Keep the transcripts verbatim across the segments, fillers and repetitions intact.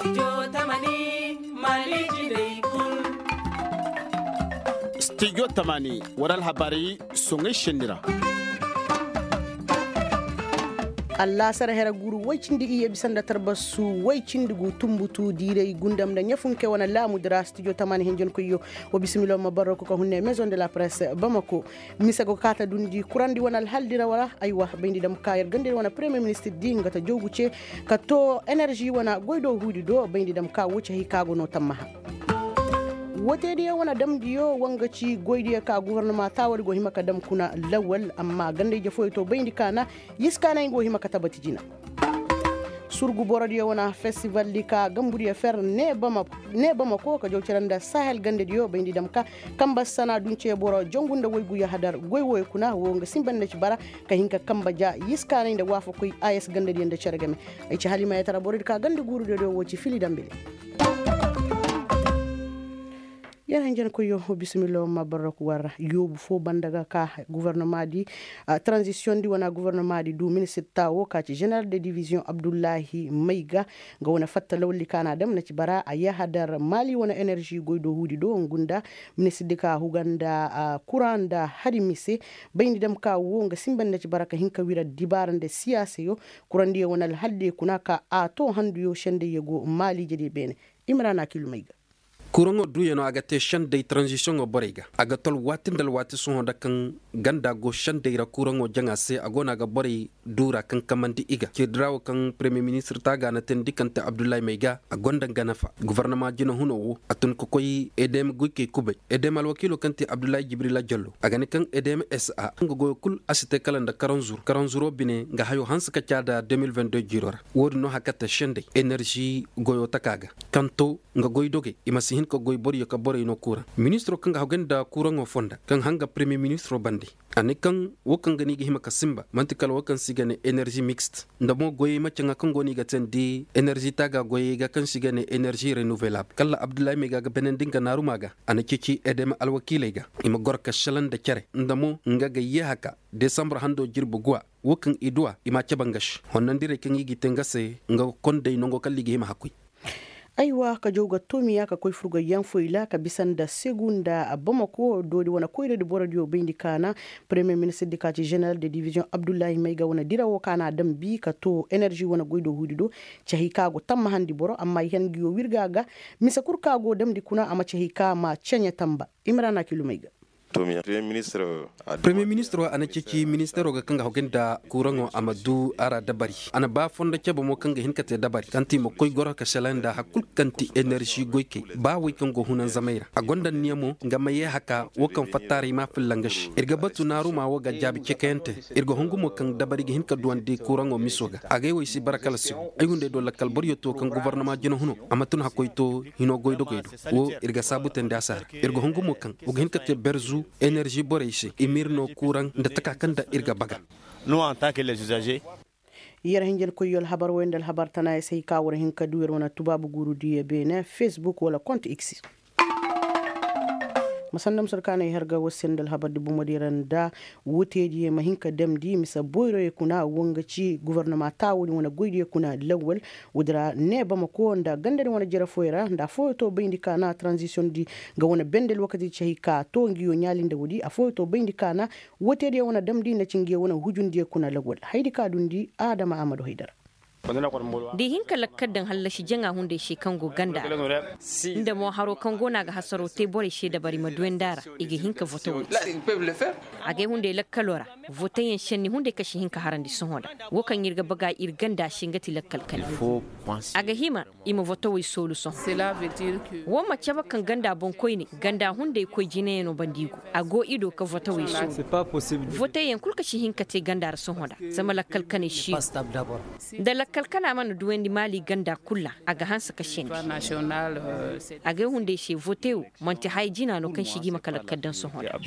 Stijo tamani wara alhabaari soŋay senni ra. Allaasar here guuru woy cindi iyye bisa nda tarbasu woy cindi gu tumbutu diiray gundam nda ɲafunke wane laamu di ra stijo tamani hinjinkoyyo. Wa bisimilo ma barro kuka hunne maison de la presse bamako. Mise go kaata dundi kurandi wane alhaldi ra wara aywa bayndi dam ka yer gandey wane premier ministir di nga ta joogu ce ka too enerži wane goy do huudi do bayndi dam ka wo cahey ka go no tammaha. Woteediyo wane damdiyo woo nga ci goydiyo ka gofornoma taawadi go hima ka dam kuna lawal amma gandey jefooyo to bayndi ka na yiskaanay nga wo hima ka tabati jina. Surgu borodiyo wane festival di ka gambudiyo fer ne bamako ka jaw cere nda sahel gandediyo bayndi dam ka kamba sana dunce boro jongu nda waygu yahadar goy wooyo kuna woo nga sinba nda ci bara ka hin ka kamba ja yiskaanay nda waafakoy ayes gandediyo nda cere game. Ay ci halimayetara borodi ka ganda guurudiyo do woo ci fili dambili. Yer hanjankoyyo bisimillo ma barrak war yoobu foo banda ga ka gofornoma di, taranzisiyoŋ di wane gofornoma di du ministir taawo ka ci ženeral de diviziyoŋ abdullahi mayga. Nga wane fatta lawalli ka na dam na ci bara a yahadar maali wane enerži goy do huudi do ngu nda ministir di ka huga nda kuraŋ nda hari mise. Bayndi dam ka woo nga sinba nda ci bara ka hin ka wira dibaara nda siyaasayo. Kurandiyo wane alhaldiyo kuna ka a too handuyo sendayyo go maali jediyo beene. Imrana kilumey ga. Kuraŋo duuyano a ga te senday taranzisiyoŋo borey ga a ga tol waati nda alwaati sohõ nda kaŋ ganda go senday ra kuraŋo jaŋa se a go no a ga borey duura kaŋ kamandi i ga cirdira wo kaŋ premiyer ministir taaga na teendi kaŋ te abdullahi may ga a gonda nga nafa gofornoma jina huno wo a tun ka koy edm goykey kubay edm alwakiilo kaŋ te abdullahi jibrila jallo a ga ne kaŋ edm sa nga goyo kul a si te kala nda karanzuro karanzuro bine nga hayo hanse ka caada deux mille vingt deux jiiro ra. Woodin no haka te senday enerži goyo taka ga kaŋ to nga goy dogey i ma si hin ka goy boryo ka borey no kuuraŋ. Ministiro kaŋ ga haggoy nda kuuraŋo fonda kaŋ hanga premiyer ministiro bande a ne kaŋ wo kaŋ ga no i ga hima ka sinba man'ti kala wo kaŋ se i ga ne enerži mixte nda mo goyey ma caŋa kaŋ go no i ga teendi enerži taaga goyey ga kaŋ se i ga ne enerži renouvelable kala abdullahi may ga ga benandi nga naaruma ga. A na ceeci edema alwakiiley ga i ma goro ka selaŋ nda cere nda mo nga ga yeeha ka desambar hando jirbi guwa. Wo kaŋ i duwa i m'a cabe nga se honnandirey kaŋ i g'i te nga se nga ga kondey nango kala i ga hima hakkoy. Aywa ka jaw ga toomiya ka koy furgoy yaŋ foy ra ka bisa nda segu nda bamako doodi wane koyradi borodiyo bayndi kaana. Premiyer ministir di ka ci ženeral de diviziyoŋ abdullahi may ga wane dira wo kaana dambi ka too enerži wane goy do huudi do. Cahey ka go tammahandi boro amma i han nguyo wirga ga mise kul ka go damndi kuna a ma cahey ka ma ceɲe tamba. Imrana kilumey ga. Premiyer ministir wo a na ceeci ministeero ga kaŋ ga hogay nda kuuraŋo a ma du a ra dabari a na ba fondo cabe mo kaŋ ga hin ka te dabari kaŋ ti ma koy goro ka selaŋ nda hari kul kaŋ ti enerži goykey ba wey kaŋ go hunanzamey ra a gonda anniya mo nga ma ye haka wo kaŋ fattaaray ma filla nga se ir ga batu naaruma wo ga jaabi cekayante. Ir ga hungu mo kaŋ dabari ga hin ka duwandi kuuraŋo miso ga agay wey si bara kala se wo ay hunday do lakkal boryo to kaŋ gobornoma jina huno a ma tun hakkoy to hino goydogey do. Wo ir ga saabu teendi a se hara ir ga hungu mo kaŋ wo ga hin ka te berzu enerži borey se i ma ir no kuuraŋ nda taka kaŋ nda ir ga baga. Yer hinjankoyyo alhabar wey nda alhabar tana ya se hay ka war hin ka du yer wane tubaabu guuru diyo beene facebook wala kont x. Ma sanda ma sor kaanay har ga war se nda alhabar di bomo di ra nda wutey diyo ma hin ka damndi mise boyroyo kuna wo nga ci gobornoma taawo din wane goy diyo kuna lawwal. Woodi ra ne bamako nda ganda din wane jere fooyo ra nda affooyo to bayndi ka na taranzisiyoŋ di nga wane bende alwakati di ci hay ka to nguyo ɲaali nda woodi affooyo to bayndi ka na. Wootediyo wane damndi nda ci nguyo wane hujundiyo kuna lawwal haydi ka dundi adama amadu haydara. Da i hin ka lakkal daŋ hallasi jaŋa hunday se kaŋ go ganda ra nda mo haro kaŋ go no a ga hasaro te borey se dabari ma duwandi a ra. I ga hin ka voto wo te. Agay hunday lakkaloo ra voteyaŋ senni hunday kaŋ si hin ka harandi sohõ nda wo kaŋ ir ga baga ir ganda se nga ti lakkal kane. A ga hima i ma voto wey soolu sohõ. Wo ma cabe kaŋ ganda boŋkoyne ganda hunday koy jinayaŋo banda i go a go i do ka voto wey soolu. Voteyaŋ kul kaŋ si hin ka te ganda ra sohõ nda zama lakkal kaney si no. Da lakkal kana mana duwandi maali ganda kul ra a ga hanse ka sendi. Agay hunday se vote wo man'ti haya jina no kaŋ si ga i ma ka lakkal daŋ sohõ nda.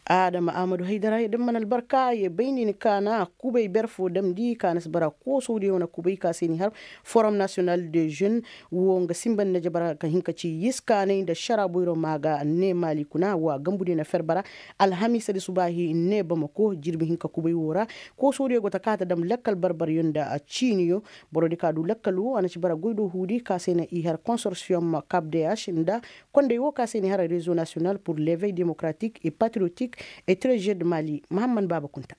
Adama ahmadu haydara ya damman albarka ya bay ni ni kaana kubay ber fo damndi kaana si bara koosawdiyo wane kubay ka se ni har forom nasiyonal de žen. Wo nga sinba ni na jabara ka hin ka ci yiskaanay nda ašara boyro ma ga ne maali kuna wa gambudiyo na fer bara alhamiisa di subaahi ne bamako jirbi hinka kubay wo ra. Koosawdiyo go ta kaata dam lakkal barbaryo nda ciiniyo. Borodi ka du lakkal wo a na ci bara goy do huudi ka se na i har konsorsiyom kabdeyas nda kondey wo ka se ni hara rezo nasiyonal pur levey demokratik e patriyotik e trezed mali mahamman baaba kunta.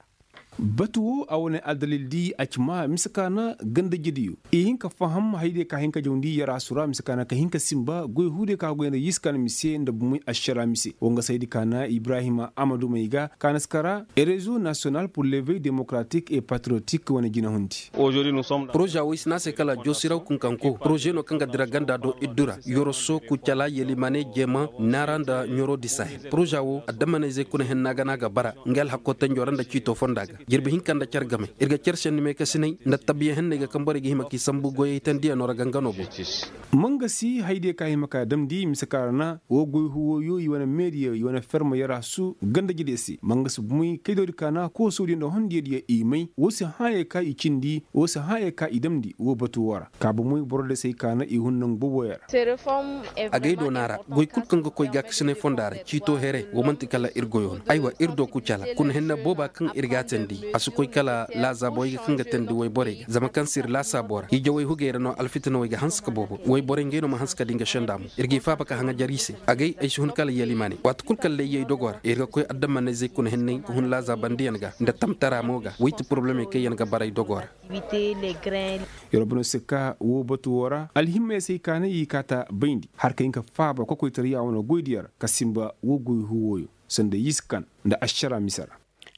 Batu wo a wane addalil di a ci maa mise ka na gandajediyo i hin ka faham haydiyo ka hin ka jawndi yarasu ra mise ka na ka hin ka sinba goy huudiyo ka goy nda yiska na mise nda bumey ašara mise wo nga saydi ka na ibrahima amadumey ga ka na si kara e rezo nasiyonal pur levey demokratik e patriyotik wane jinahundi. Poroza wo i si ne a se kala joosiraw kunkanko poroze no kaŋ ga dira ganda do iddu ra yoroso kucala yelimane jeema naara nda ɲoro di sahel poroza wo addamanayzey kuna henna ga no a ga bara nga alhakko tanjo ra nda ciito fonda ga jirbi hinka nda care game ir ga care senni meekasinay nda tabiya henney ga kaŋ borey ga hima k'i sambu goyey tandiyano ra gangano boŋ. Mangasi haydiyo ka hima ka damndi mise ka ra na wo goy huwoyo i wane meediyo i wane ferma yarasu gandajediyo se mangasi bumey kaydodi ka na koosodiyo nda hondiyodiyo i may wo si hã ye ka i cindi wo si hã ye ka i damndi wo batu wo ra ka bumey borodiyo se ay ka na i hun nangu boboyo ra. Agay do no a ra goy kul kaŋ ga koy gaakasinay fonda ra ciito here wo man'ti kala ir goyo no aywa ir do kucala kuna henna booba kaŋ ir g'a teendi a si koy kala laazaabo ay ga kaŋ ga teendi wayborey ga zama kaŋ se ir laasaabo ra hiijawey hugey ra no alfitinawey ga hanse ka boobo wayborey ngey no ma hanse ka di nga senda mo ir g'i faaba ka haŋajar i se agay ay si hun kala yalimaaney waati kul kaŋ layyey dogo ra ir ga koy addamanayzey kuna henney ka hun laazabandiyaŋ ga nda tamtara mo ga woy ti poroblemey kaŋ yaŋ ga bara ay dogo ra. Yorobanoo se ka woo batu woo ra alhimmey se i kaanay i kaata bayndi har ka hin ka faaba kokoytara yaawanoo goydiyaŋ ra ka sinba woo goy huwooyo sanda yiskan nda ašara mise ra.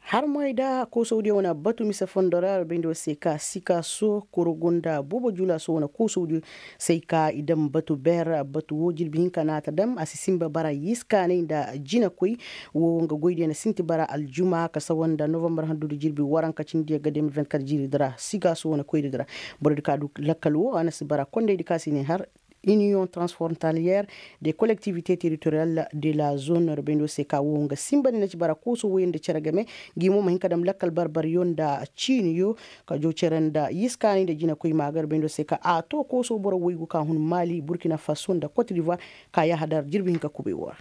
Har moy da koosawdiyo wane batu mise fondo ra bayndi woo se ka sikaaso korogo nda boobo juulaaso wane koosawdiyo se ay ka i daŋ batu beer batu woo jirbi hinka na a ta daŋ a si sinba bara yiskaanay nda jinakoy. Woo nga goydiyo na sinti bara aljuma ka sawa nda novambar handu nda jirbi waranka cindiyo ga de mil vingt kat jiiri di ra sikaaso wane koyri di ra. Borodi ka du lakkal woo a na si bara kondaydi ka si ne har iniyoŋ transfrontaliyeer de kolektivite teritoriyal de la zone ra bayndi woo se ka woo nga sinba ni na ci bara kooso woyoo nda cere game. Ngi mo ma hin ka dam lakkal barbaryo nda ciiniyo ka joo cere nda yiskaanay nda jinakoy maaga ra bayndi woo se ka a too kooso boro woygu ka hun maali burkina faso nda kot divoire ka yahadar jirbi hinka kubay woo ra.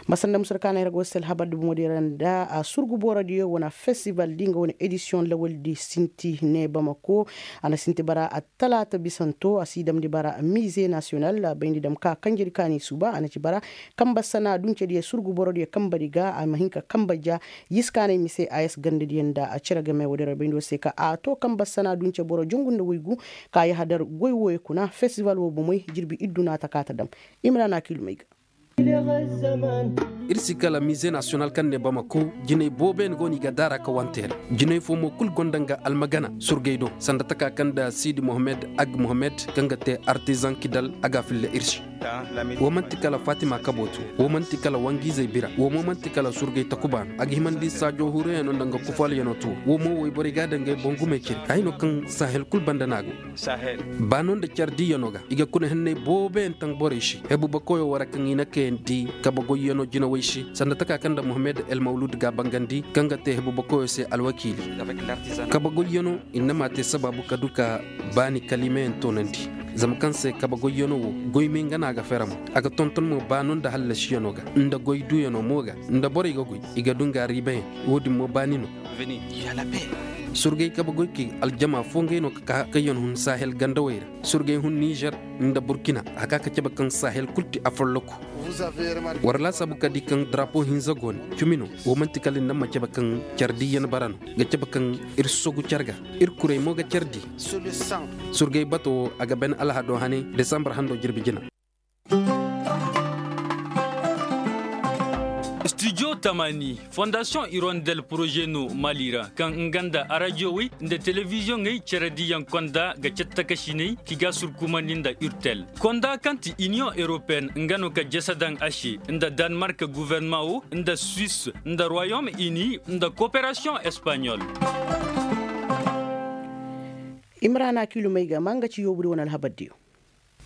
Ma sanda musur kaanay ra go sel habar di bomo di ra nda a surgu borodiyo wane festival di nga wane edisiyoŋ lawal di sinti ne bamako. A na sinti bara attalaata bisanto a si damndi bara mize nasiyonal bayndi dam ka kanjedi kaani suuba a na ci bara kamba sana duncediyo surgu borodiyo kambadi ga a ma hin ka kamba ja yiskaanay mise a yas gandadiyo nda a cere game woodi ra bayndi woo se ka a to kamba sana dunce boro jongu nda woygu ka yahadar goy wooyo kuna festival woo bomey jirbi iddu na a ta ka ta dam. Imrana kilumey ga. Ir si kala mize nasiyonal kaŋ ne bamako jinay boobeyaŋ go no i ga daara ka wante ra. Jinay fo mo kul gonda nga almagana surgey do sanda taka kaŋ nda siidi mohammed ag mohammed kaŋ ga te artizaŋ kidal a ga a filla ir se. Woo man'ti kala fatima kabootu woo man'ti kala wangiizey bira woo mo man'ti kala surgey takuba no a ga himandi saajo huruyaŋo nda nga kufaalyaŋo tuwo woo mo woyborey ga a daŋ ngey boŋ gumey ciri hay no kaŋ sahel kul banda no a go. Baano nda care diiyanoo ga i ga kuna henney booboyaŋ taŋ borey se hebuba koyoo wara kaŋ i na kayandi kabe goyyanoo jinawey se sanda taka kaŋ nda mohammed el mawlud ga a bangandi kaŋ ga te hebuba koyoo se alwakiili. Kabe goyyanoo i na ma te sabaabu ka du ka baani kaliimayaŋ toonandi. Zama kaŋ se kabe goyyanoo wo goy me nga no a ga fera mo a ga tonton mo baano nda hallasiyanoo ga nda goy duuyanoo mo ga nda borey ga goy i ga du nga riibayaŋ. Wo-din mo baani no. Surgey kabe goy kay aljama foo ngey no ka kaa kaŋ yaŋ hun sahel gandawey ra. Surgey hun nizer nda burkina a kaa ka cabe kaŋ sahel kul ti afolloku. War laasaabu ka di kaŋ darapo hinza go ne cumi no. Wo man'ti kala ni na ma cabe kaŋ care diiyan bara no ga cabe kaŋ ir sogu care ga. Ir kurey mo ga care di. Surgey bato wo a ga bane alhado hane desambar hando jirbi jina. Studio tamani fondasiyoŋ irondel poroze no mali ra kaŋ nga nda arajiyowey nda telebiziyoŋey cere diyaŋ konda ga cattakasiney ki ga surkumandi nda urtel. Konda kaŋ ti iniyoŋ eropeen nga no ka jese daŋ a se nda danmark guverneman wo nda suwis nda royom ini nda koperasiyoŋ espanyol. Imrana kilumey ga ma nga ci yoobudi wane alhabardiyo.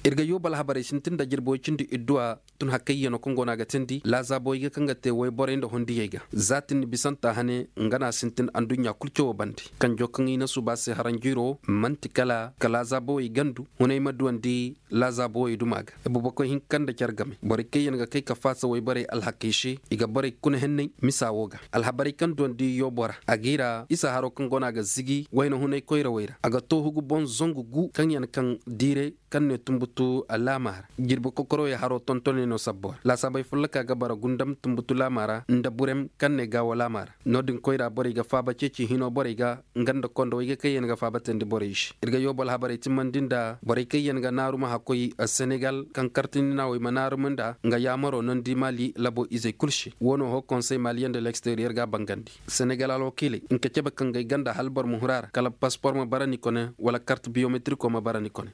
Ir ga yooba alhabarey sintin nda jirbi woy cindi idduwa tun hakkayyanoo kaŋ go no a ga teendi laazaabowey ga kaŋ ga te woyborey nda hondiyey ga. Za tin ni bisanta hane nga no a sintin adduɲɲa kul cawoo bande. Kanjoo kaŋ i na suuba se haranjiiroo man'ti kala ka laazaabowey gandu hunay ma duwandi laazaabowey duma ga. Ibubakoy hinka nda care game borey kaŋ yaŋ ga kay ka faasa woyborey alhakey se i ga borey kuna henney misa woo ga. Alhabarey kaŋ duwandi yoobo ra a g'i ra isa haroo kaŋ go no a ga zigi wayna hunay koyrawey ra a ga too hugu boŋ zangu gu kaŋ yaŋ kaŋ diire kaŋ ne tunbutu laamaa ra. Jirbi kokoroyey haroo tontoney no sabbo ra laasaabey folloka ga bara gundam tunbutu laamaa ra nda burem kaŋ ne gaawo laamaa ra. No-din koyra borey ga faaba ceeci hinoo borey ga nga nda kondowey ga kaŋ yaŋ ga faaba teendi borey se. Ir ga yoobo alhabarey timmandi nda borey kaŋ yaŋ ga naaruma hakkoy senegal kaŋ kartindinaawey ma naaruma nda nga yaamaroo nondi maali labo izey kul se woo no hoo konsey maaliyaŋ nda leksteriyer ga a bangandi. Senegal alwakiiley nka cebe kaŋ ga ay ganda hala boro ma huru a ra kala paspor ma bara ni kone wala kart biyometirikoo ma bara ni kone.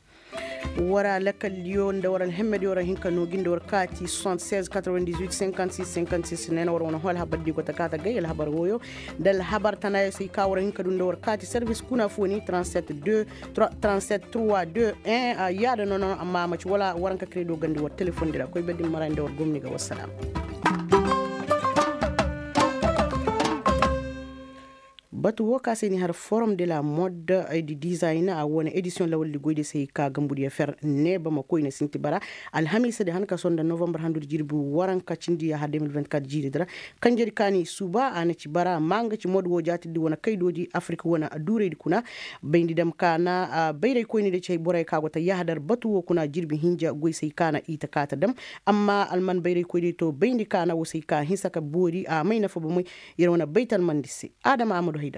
War alakal diyo nda war alhemme diyo ra hinka noogi nda war kaati soixante seize quatre vingt dix huit cinquante six cinquante six neena war wane hoo alhabar di go ta kaata gay alhabar wooyo nda alhabar tana ya se i ka war hinka du nda war kaati servis kuna fo ni trente sept deux trente sept trois deux un. Yaada nono amma a ma ci wala waranka kredo gandi war telefon di ra koy bedi mara nda war gomni ga wassalam. Batu woo ka se ni har forum de la mode di dizayna a wane edisiyoŋ lawaldi goydi se i ka gambudiyo fer neeba ma koyne sinti bara alhamiisa di han ka sohõ nda novambar handudi jirbi waranka cindi yaaha deux mille vingt-quatre jiiri di ra. Kanjedi ka ni suuba a na ci bara ma nga ci mode woo jaatirdi wane kaydoodi afirik wane duuraydi kuna. Bayndi dam ka na bayraykoyni di ci hay borey ka go ta yaahadar batu woo kuna jirbi hinja goy se i ka na i ta kaa ta dam. Amma alman bayraykoyni to bayndi ka na woo se i ka hinsa ka boori a may nafa bomey. Yer wane baytalmandi se. Adama amadu haydara.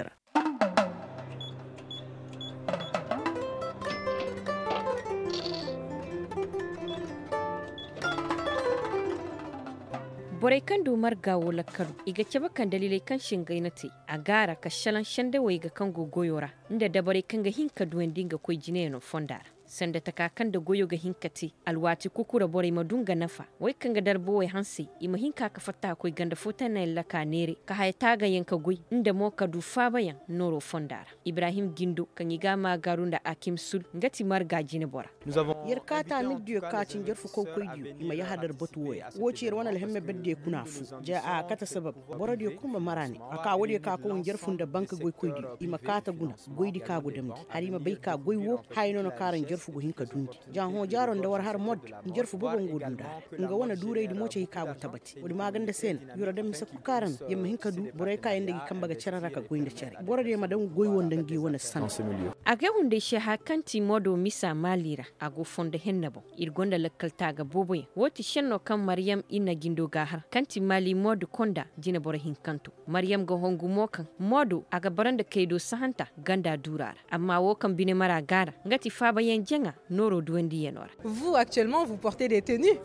Borey kaŋ du marga woo lakkalu i ga cabe kaŋ daliiley kaŋ se ngey na te a gaara ka šelaŋ sendawey ga kaŋ go goyoo ra nda dabarey kaŋ ga hin ka duwandi nga koy jineyaŋo fonda ra. Sanda taka kaŋ nda goyoo ga hin ka te alwaati kukura borey ma du nga nafa. Wey kaŋ ga darbawey hansey i ma hin ka ka fatta ka koy ganda footannayaŋ laka neere ka haya taagayaŋ ka goy nda mo ka du faabayaŋ nooroo fonda ra. Ibrahim gindo kaŋ i ga a maagaaru nda akim sul nga ti marga jinebora. Yer kaata mirdiyo ka ci njarfu kawkoydiyo i ma yahadar batu wooya woo ci yer wane alhemme berdiyo kuna fu ja a kate sabab. Borodiyo kul ma mara ne a ka woodiyo ka koy njarfu nda banka goykoydiyo i ma kaata guna goydi ka go damndi hala i ma bay ka goy woo haya no na kaara njarfu go hin ka dundi. Ja hõ jaaro nda war har mod njarfu bobo nga go dunda. Nga wane duuraydi mo ci hay ka go tabati woodi maaganda se na yoro daŋ mise kul kaara no yer ma hin ka du borey ka yer nda gi kamba ga cere ra ka goy nda cere borodiyo ma daŋ goy woo nda ngi wane sanaŋ. A ga hunday se haya kaŋ ti modo misa maali ra a go fondo henne boŋ. Ir gonda lakkal taaga booboyaŋ woo ti šenno kaŋ maryam ir na jindo ga a har kaŋ ti maali modo konda jineboro hinkanto. Maryam ga hongu mo kaŋ modo a ga bara nda kaydo sahanta ganda duura ra. Amma woo kaŋ bine mara gaara nga ti faabayaŋ jaŋa nooro duwandiyanoo ra.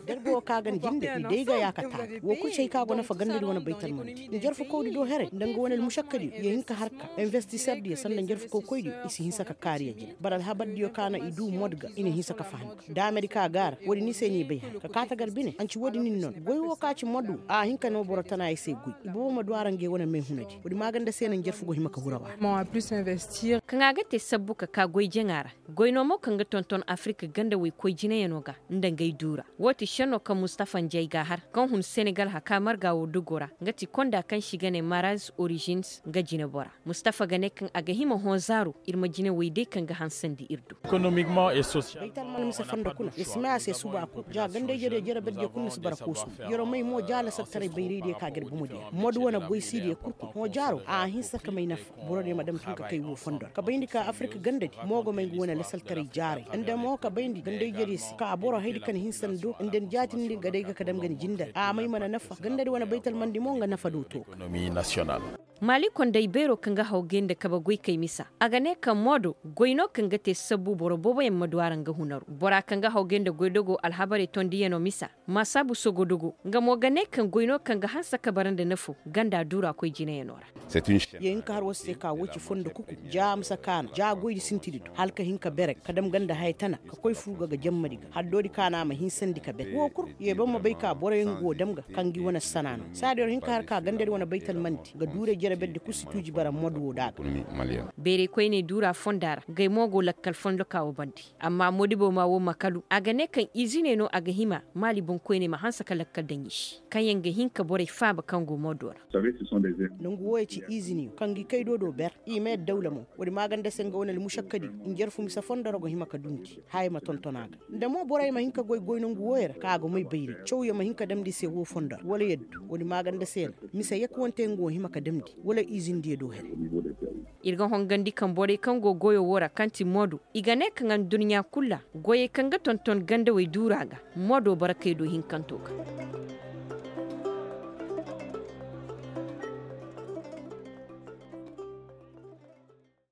Darba woo ka ga na jinde ni day ga yaaka taaga woo kul ci hay ka go nafa gandadi wane baytalmandi njarfukawdi do heray nda nga wane almušakkadiyo ya hin ka har ka investiserdiyo sanda njarfukawkoydiyo i si hinsa ka kaari ya jine bara alhabardiyo ka na i duu mod ga i na hinsa ka faham ka daamedi ka gaara woodi ni se ni bay har ka kaa tagar bine anci woodi nin non goy woo ka ci mod woo a hin ka no boro tana ya se goy i boobo ma du a ra ngey wane meehunadi woodi maaganda se na njarfu go hima ka huraw a ra. Kaŋ a ga te sabbu ka kaa goy jaŋa ra goy no mo kaŋ ga tonton afirik gandawey koy jineyanoo ga nda ngey duura. Woo ti šenno kaŋ mustafa njay ga a har kaŋ hun senegal haka marga woo dogoo ra nga ti konda kaŋ se i ga ne maraz orijins nga jinebora. Mustafa ga ne kaŋ a ga hima hõ zaaro ir ma jinewey day kaŋ ga hansandi ir do. Baytalman mise fondo kuna yer si may a se suba kul ja gandayjediyo jere berdiyo kul na si bara koosu. Yeroo may mo ja lasartaray bayraydiyo ka ga ir bomodiyo mod wane goysiidiyo kul kul hõ jaaro a hinsa ka may nafa. Borodiyo ma dam tun ka kay woo fondo ra ka bayndi ka afirik gandadi mo ga may nga wane lasaltaray jaaray nda mo ka bayndi gandayjediyo se ka boro haydi kaŋ hinsa ni do nda ni jaatindi ga day ga ka dam ga ni jindar a may mana nafa gandadi wane baytalmandi mo nga nafa do to ga. Maali konday beeroo kaŋ ga haw gay nda kabe goykey misa a ga ne kaŋ moodo goy no kaŋ ga te sabbu boro booboyaŋ ma du a ra nga hunaru bora kaŋ ga haw gay nda goydogoo alhabarey tondiyanoo misa. Maasaabu sogodogo nga mo ga ne kaŋ goy no kaŋ ga hanse ka bara nda nafo ganda duura koy jinayanoo ra. Ye hin ka har war se ka woo ci fondo kuku ja a ma si kaanu ja goydi sintidi do hala ka hin ka bere ka dam ganda haya tana ka koy fur ga ga jammadi ga haddoodi kaanu a ma hinsandi ka bere woo kul ye boŋ ma bay ka boroyaŋ go dam ga kaŋ gi wane sana no saadi war hin ka har ka gandadi wane baytalmandi ga duuray. Yer berdi kul si tuuji bara mod wo da a ga. Bayray koyney duura fonda ra gay mo go lakkal fondo ka wo bande. Amma modibo ma wo makalu a ga ne kaŋ iziney no a ga hima maali boŋkoyney ma hanse ka lakkal daŋ i se kaŋyaŋ ga hin ka borey faaba kaŋ go modo ra. Nangu wooyo ci iziniyo kaŋ ga i kay do do ber. I ma yadda dawla mo. Woodi maaganda se nga wane almušakkadi. Njarfu mise fondo ra go hima ka dundi haya ma tonton a ga. Nda mo borey ma hin ka goy goy nangu wooyo ra kaŋ a go may bayray cawyo ma hin ka damndi i se woo fondo ra wala yaddu woodi maaganda se na. Mise yekkuwante nga go hima ka damndi wala izindiyo do here. Ir ga hongandi kaŋ borey kaŋ go goyo woo ra kaŋ ti moodo i ga ne kaŋ adduɲɲa kul ra goyey kaŋ ga tonton gandawey duura ga. Moodo barakey do hinkanto ga.